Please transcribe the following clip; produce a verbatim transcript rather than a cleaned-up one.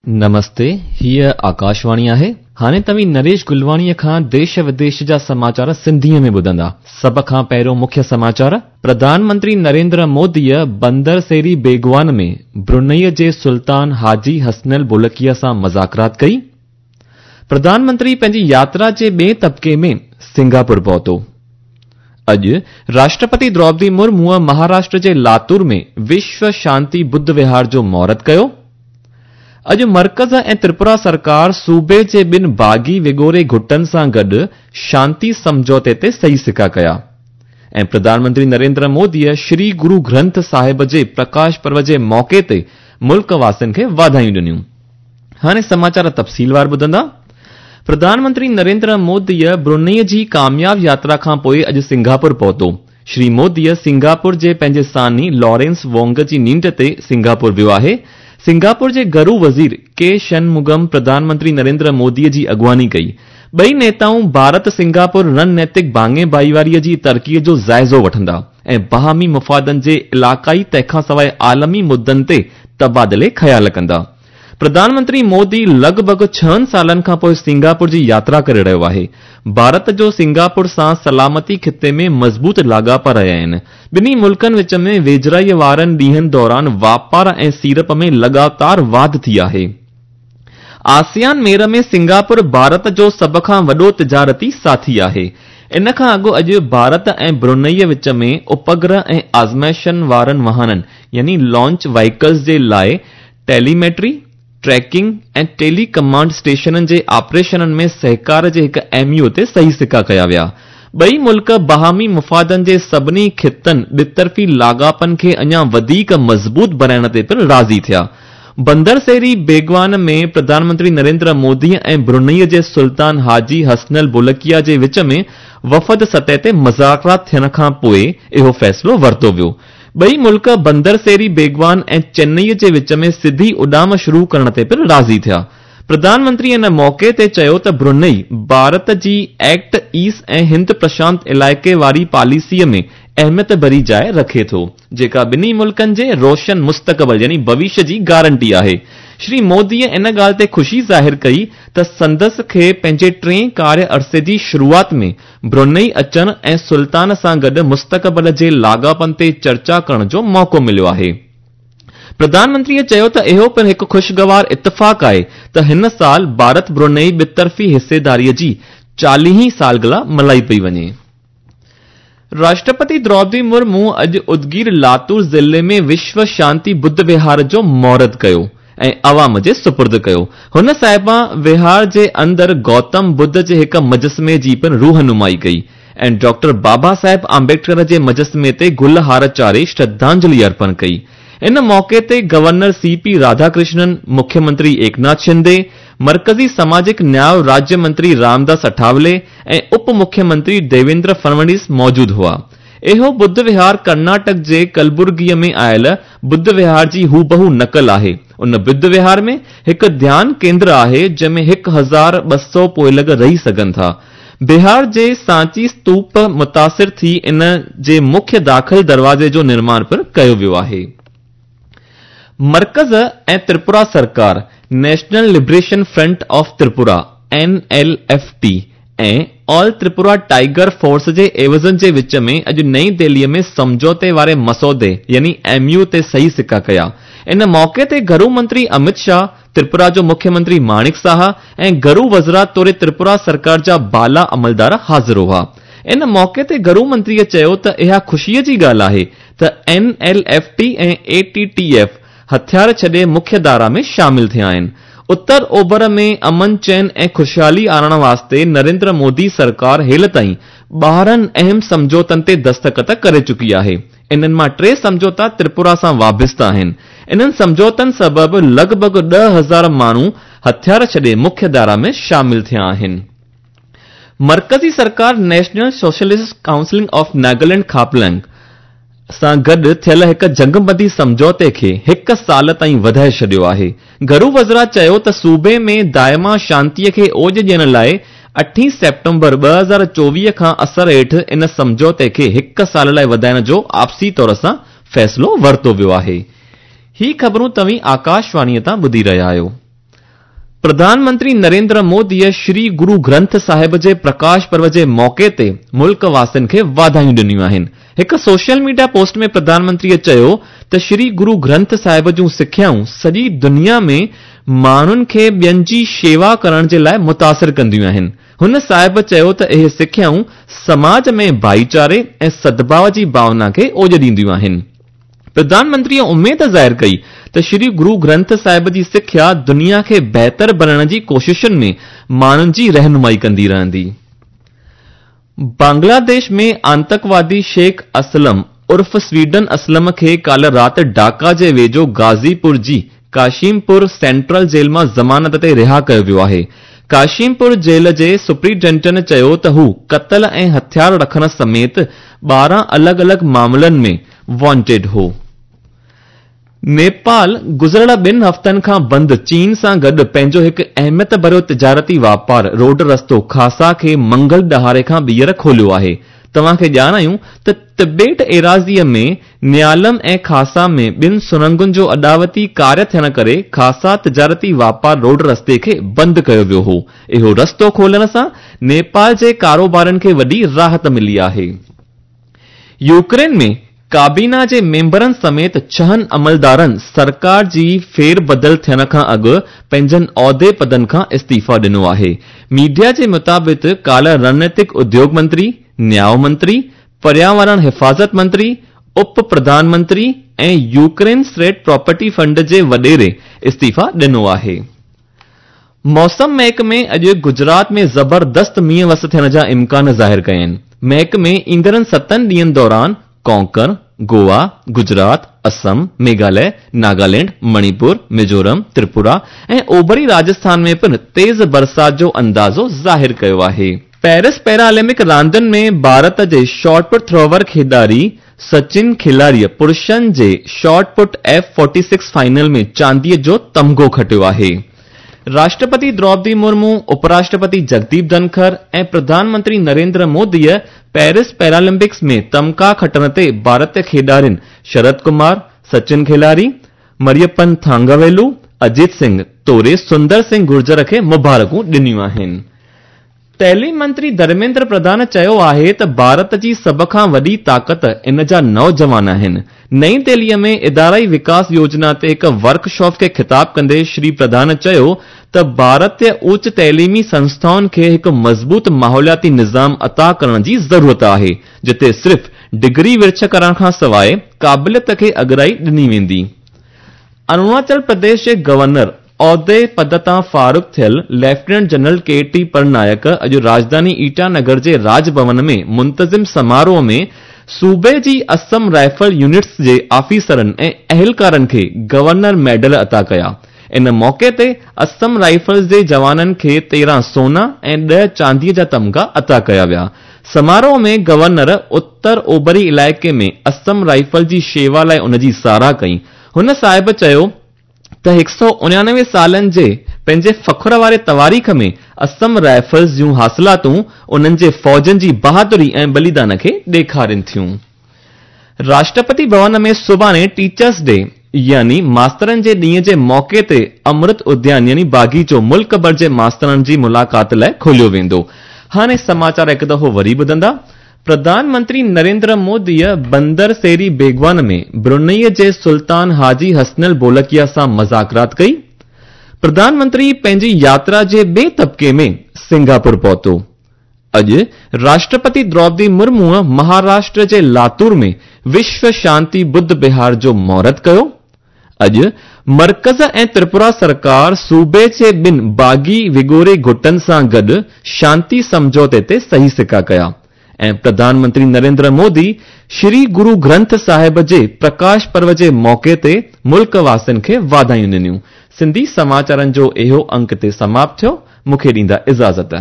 نمستي، هيء آڪاشواڻي آهي. هاڻي توهين نريش گلواڻيء کان ديش وديش جا سماچار سنڌيء ۾ ٻڌندا. سڀ کان پهريون مکيه سماچار، پرڌان منتري نريندر موديء بندر سيري بيگوان ۾ برونئي جي سلطان حاجي حسنل بولڪيا سان مذاڪرات ڪئي. پرڌان منتري پنهنجي ياترا جي ٻئي طبقي ۾ سنگاپور پهتو. اڄ راشٽرپتي دروپدي مرموء مهاراشٽر جي لاتور ۾ وشو شانتي ٻڌ وهار جو مهورت ڪيو. اڄ مرڪز ۽ تريپورا سرڪار صوبي جي ٻن باغي وڳوڙي گٽن سان گڏ شانتي سمجهوتي تي صحيح سڪا ڪيا. ۽ پرڌان منتري نريندر موديء شري گرو گرنٿ صاحب جي پرڪاش پرو جي موقعي تي ملڪ واسين کي واڌايون ڏنيون. هاڻي سماچار تفصيلوار ٻڌندا. پرڌان منتري نريندر موديء برونئي جي ڪامياب ياترا کان پوءِ اڄ سنگاپور پهتو. شري موديء سنگاپور جي پنهنجي ثاني لارينس وونگ جي نينڍ تي سنگاپور ويو آهي. سنگاپور جي گهرو وزير ڪي شنمگم پرڌان منتري نريندر موديء جي اڳواڻي ڪئي. ٻئي نيتائون ڀارت سنگاپور رڻنيتڪ ڀاڱي ڀائيواريء جي ترقيء جو جائزو وٺندا ۽ باهمي مفادن جي علائقائي تنهن کان سواءِ عالمي مدن تي تبادلي خيال ڪندا. پرڌان منتري مودي لڳ ڀڳ ڇهن سالن کان پوءِ سنگاپور جي ياترا ڪري رهيو آهي. ڀارت جو سنگاپور سان سلامتي خطي ۾ مضبوط لاڳاپا رهيا آهن. ٻنهي ملڪن وچ ۾ ويجهڙائيءَ وارن ڏينهن دوران واپار ۽ سيڙپ ۾ لڳاتار واڌ ٿي آهي. آسيان ميڙ ۾ سنگاپور ڀارت جو سڀ کان وڏو تجارتي ساٿي آهي. ان کان اڳ اڄ ڀارت ۽ برونئي وچ ۾ اپگرهه ۽ آزمائشن وارن واهنن يعني لانچ وهيڪلز جي لاءِ ٽيليميٽري، ٽريڪنگ ۽ ٽيلي ڪمانڊ اسٽيشنن جي آپريشنن ۾ سهڪار جي هڪ ايم يو تي صحيح سڪا ڪيا ويا. ٻئي ملڪ باهمي مفادن جي سڀني خطن ٻطرفي لاڳاپن کي اڃا وڌيڪ مضبوط بڻائڻ تي پڻ راضي ٿيا. بندر سيري بيگوان ۾ پرڌان منتري نريندر مودي ۽ برونئي جي سلطان حاجي حسنل بولڪيا جي وچ ۾ وفد سطح تي مذاڪرات ٿيڻ کان پوءِ اهو فيصلو ورتو ويو. ٻئي ملڪ بندر سيري بيگوان ۽ چنئي جي وچ ۾ سڌي اڏام شروع ڪرڻ تي پڻ راضي ٿيا. پرڌان منتري ان موقعي تي چيو ته برونئي ڀارت جي ايڪٽ ايسٽ ۽ هند پرشانت علائقي واري پاليسيءَ ۾ اهميت ڀري جاءِ رکي ٿو، جيڪا ٻنهي ملڪن جي روشن مستقبل يعني ڀوشيه جي گارنٽي آهي. شري موديءَ ان ڳالهه تي خوشي ظاهر ڪئي ته سندس کي پنهنجي ٽئين ڪاريه عرصي جي شروعات ۾ برونئي اچڻ ۽ سلطان سان گڏ مستقبل جي لاڳاپن تي چرچا ڪرڻ جو موقعو مليو آهي. پرڌان منتريءَ چيو ته اهو پڻ هڪ خوشگوار اتفاق آهي ته هن سال ڀارت برونئي ٻطرفي حصيداريءَ جي چاليهين سالگرهه ملهائي پئي وڃي. راشٽرپتي دروپدي مرمو اڄ ادگير لاتور ضلعي ۾ وشو شانتي ٻڌ وهار جو مهورت ڪيو ۽ عوام جي سپرد ڪيو. هن صاحبان وهار جي اندر گوتم ٻڌ جي هڪ مجسمي جي پڻ روحنمائي ڪئي ۽ ڊاڪٽر بابا صاحب امبيڊڪر جي مجسمي تي گل هار چاڙهي شرڌانجلي ارپڻ ڪئي. ان موقعي تي گورنر سي پي راڌاڪرشنن، مکيه منتري ايڪناٿ شندي، مرڪزي سماجڪ نياءُ راجيه منتري رامداس اٺاولي ۽ اپ مکيه منتري ديويندر فڙنويس موجود هئا. اهو ٻڌ وهار ڪرناٽڪ جي ڪلبرگيءَ ۾ آيل ٻڌ وهار جي هوبهو نقل آهي. ان ٻڌ وهار ۾ هڪ ڌيان ڪيندر آهي جنهن ۾ هڪ هزار ٻه سؤ پوئلڳ رهي سگهن ٿا. بهار جي سانچي استوپ متاثر ٿي ان جي مکيه داخل دروازي جو نرماڻ پڻ ڪيو ويو آهي. مرڪز ۽ تريپورا سرڪار national liberation front of Tripura N L F T ۽ all Tripura tiger force جي عيوضن جي وچ ۾ اڄ نئين دهليءَ ۾ سمجهوتي واري مسودي يعني ايم يو تي صحيح سڪا ڪيا. ان موقعي تي گهرو منتري امت شاهه، تريپورا جو مکيه منتري ماڻڪ ساها ۽ گهرو وزارت توڙي تريپورا سرڪار جا بالا عملدار حاضر هئا. ان موقعي تي گهرو منتريءَ چيو ته اها خوشيءَ جي ڳالهه آهي ته اين ايل ايف ٽي ۽ اي ٽي ٽي ايف هٿيار ڇڏي مکيه ڌارا ۾ شامل ٿيا آهن. اتر اوڀر ۾ امن چين ۽ خوشحالي آڻڻ واسطي نريندر مودي سرڪار هيل تائين ٻارهن اهم سمجهوتن تي دستخط ڪري چڪي آهي. انهن مان ٽي سمجهوتا تريپورا سان وابسته آهن. انهن سمجهوتن سبب لڳ ڀڳ ڏهه هزار ماڻهو هٿيار ڇڏي مکيه ڌارا ۾ شامل ٿيا آهن. مرڪزي سرڪار national socialist council of Nagaland Khaplang سان گڏ ٿيل هڪ جنگبندي سمجهوتي کي هڪ سال تائين وڌائي ڇڏيو آهي. گهرو وزارت چيو ته صوبي ۾ دائما شانتيءَ کي اوج ڏيڻ لاءِ اٺين سيپٽمبر ٻه هزار چوويهه کان اثر هيٺ ان سمجهوتي کي هڪ سال لاءِ وڌائڻ جو آپسي طور سان فيصلو ورتو ويو آهي. هي خبرون توهين آڪاشواڻيءَ تان ٻڌي رهيا آهيو. پرڌان منتري نريندر موديء شري گرو گرنٿ صاحب جي پرڪاش پرو جي موقعي تي ملڪ واسين کي واڌايون ڏنيون آهن. هڪ سوشل ميڊيا پوسٽ ۾ پرڌان منتريء چيو ته شري گرو گرنٿ صاحب جون سکيائون سڄي دنيا ۾ ماڻهن کي ٻين جي شيوا ڪرڻ جي لاءِ متاثر ڪنديون آهن. هن صاحب چيو ته اهي سکيائون سماج ۾ ڀائيچاري ۽ سدڀاءُ جي ڀاونا کي اوڄ ڏينديون آهن. پرڌان منتريء اميد ظاهر ڪئي ته شري گرو گرنٿ صاحب جي سکيا دنيا کي بهتر بڻائڻ جي ڪوششن ۾ ماڻهن جي رهنمائي ڪندي رهندي. بنگلاديش ۾ آتنڪوادي شيخ اسلم عرف سويڊن اسلم کي ڪالهه رات ڍاڪا جي ويجهو غازيپور جي ڪاشيمپور سينٽرل جيل مان ضمانت تي رها ڪيو ويو آهي. ڪاشيمپور جيل جي سپرنٽينڊنٽ چيو ته هو قتل ۽ هٿيار رکڻ سميت ٻارهن الڳ الڳ معاملن ۾ وانٽيڊ هو. نيپال گذريل ٻن هفتن کان بند چين سان گڏ پنهنجو هڪ اهميت ڀريو تجارتي واپار روڊ رستو کاسا کي منگل ڏهاڙي کان ٻيهر کوليو آهي. توهان کي ڄاڻايون ته تبت ايراضيءَ ۾ نيالم ۽ کاسا ۾ ٻن سرنگن جو اڏاوتي ڪاريه ٿيڻ ڪري کاسا تجارتي واپار روڊ رستي کي بند ڪيو ويو هو. اهو رستو کولڻ سان نيپال جي ڪاروبارن کي وڏي راحت ملي آهي. يوڪرين ۾ ڪابينا جي ميمبرن سميت ڇهن عملدارن سرڪار جي ڦير بدل ٿيڻ کان اڳ پنهنجن عهدي پدن کان استعيفا ڏنو آهي. ميڊيا جي مطابق ڪالهه رڻنيتڪ اديوگ منتري، نياءُ منتري، پرياورڻ حفاظت منتري، up Pradhan Mantri ۽ Ukraine state property fund جي وڏيري استعيفا ڏنو آهي. موسم محڪمي اڄ گجرات ۾ زبردست مينهن وس ٿيڻ جا امڪان ظاهر ڪيا آهن. محڪمي ايندڙ ستن ڏينهن دوران ڪونڪڻ، گوا، گجرات، اسم، ميگهاليه، ناگالينڊ، مڻيپور، ميزورم، تريپورا ۽ اوڀري راجسٿان ۾ پڻ تيز برسات جو اندازو ظاهر ڪيو آهي. پيرس پيرالمپڪ راندن ۾ ڀارت جي شاٽ پٽ ٿروور کيڏاري سچن کلاريءَ پرشن جي shot put F forty six final ۾ چانديءَ جو تمغو کٽيو آهي. راشٽرپتي دروپدي مرمو، اپراشٽرپتي جگديپ ڌنکر ۽ پرڌان منتري نريندر موديءَ پيرس پيرالمپڪس ۾ تمغا کٽڻ تي ڀارتيه کيڏارين شرد ڪمار، سچن کلاري، مريپن ٿانگاويلو، اجيت سنگهه توڙي سندر سنگهه گرجر کي مبارڪون ڏنيون آهن. تعليم منتري ڌرميندر پرڌان چيو آهي ته ڀارت جي سڀ کان وڏي طاقت ان جا نوجوان آهن. نئين دهليءَ ۾ ادارائي وڪاس يوجنا تي هڪ ورڪشاپ کي خطاب ڪندي شري پرڌان چيو ته ڀارتيه اچ تعليمي سنسٿائن کي هڪ مضبوط ماحولياتي نظام عطا ڪرڻ جي ضرورت آهي، جتي صرف ڊگري ورڇ ڪرڻ کان سواءِ قابليت کي اڳرائي ڏني ويندي. اروناچل پرديش جي گورنر عهدي پد تان فارغ ٿيل lieutenant general K T Parnaik اڄ راڄڌاني ايٽانگر جي راج ڀون ۾ منتظم سماروهه ۾ صوبي جي اسم رائفل يونٽس جي آفيسرن ۽ اهلڪارن کي گورنر ميڊل عطا ڪيا. ان موقعي تي اسم رائفلز جي جوانن کي تيرهن سونا ۽ ڏهه چانديءَ جا تمغا عطا ڪيا ويا. سماروهه ۾ گورنر اتر اوڀري علائقي ۾ اسم رائفل جي شيوا لاءِ ان جي ساراهه ڪئي. هن صاحب چيو ته هڪ سؤ اڻانوي سالن جي پنهنجي فخر واري تواريخ ۾ اسم رائفلز جون حاصلاتون انهن جي فوجن جي بهادري ۽ بليدان کي ڏيکارين ٿيون. راشٽرپتي ڀون ۾ سڀاڻي ٽيچرس ڊي يعني ماسترن جي ڏينهن جي موقعي تي امرت اديان يعني باغيچو ملڪ ڀر جي ماسترن جي ملاقات لاءِ کوليو ويندو. هاڻي سماچار هڪ دفعو وري ٻڌندا. پرڌان منتري نريندر موديءَ بندر سيري بيگوان ۾ برونئي جي سلطان حاجي حسنل بولڪيا سان مذاڪرات ڪئي. پرڌان منتري پنهنجي ياترا جي ٻئي طبقي ۾ سنگاپور پهتو. اڄ راشٽرپتي دروپدي مرموءَ مهاراشٽر جي لاتور ۾ وشو شانتي ٻڌ وهار جو مهورت ڪيو. اڄ مرڪز ۽ تريپورا سرڪار صوبي جي ٻن باغي وڳوڙي گٽن سان گڏ شانتي سمجهوتي تي صحيح سڪا ڪيا. ۽ پرڌان منتري نريندر مودي شري گرو گرنٿ صاحب جي پرڪاش پرو جي موقعي تي ملڪ واسين کي واڌايون ڏنيون. سنڌي سماچارن جو اهو انڪ تي سماپت ٿيو. مون کي ڏيندا اجازت.